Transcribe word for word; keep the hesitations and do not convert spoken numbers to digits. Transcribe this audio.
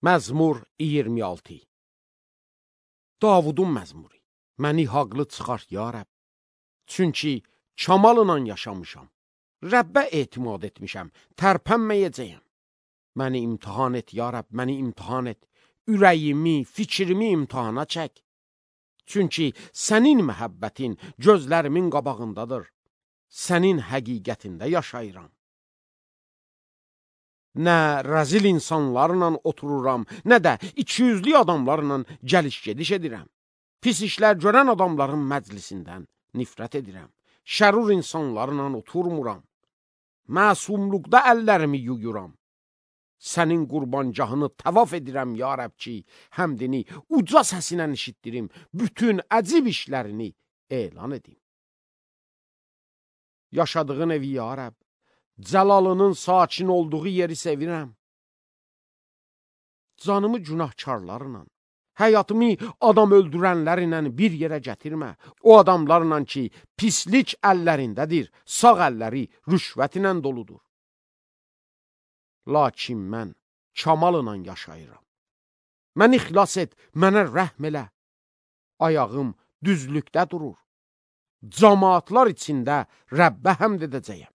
Məzmur iyirmi altı. Davudun məzmuru. Məni haqlı çıxart ya Rəbb. Çünki kamalıla yaşamışam. Rəbbə etimad etmişəm, tərpənməyəcəyəm. Məni imtihan et ya Rəbb, məni imtihan et. Ürəyimi, fikrimi imtihana çək. Çünki sənin məhəbbətin gözlərimin qabağındadır. Sənin həqiqətində yaşayıram. Nə rəzil insanlarla otururam, nə də ikiyüzlü adamlarla gəliş-gediş edirəm. Pis işlər görən adamların məclisindən nifrət edirəm. Şərur insanlarla oturmuram. Məsumluqda əllərimi yuyuram. Sənin qurbancahını təvaf edirəm ya Rəbb ki, həmdini uca səsinə eşitdirim, bütün əcib işlərini elan edim. Yaşadığın evi ya Rəbb, cəlalının sakin olduğu yeri sevirəm. Canımı günahkarlarla, həyatımı adam öldürənlərlə bir yerə gətirmə. O adamlarla ki, pislik əllərindədir, sağ əlləri rüşvət ilə doludur. Lakin mən kamalına yaşayıram. Məni xilas et, mənə rəhm elə. Ayağım düzlükdə durur. Camaatlar içində Rəbbə həmd edəcəyəm.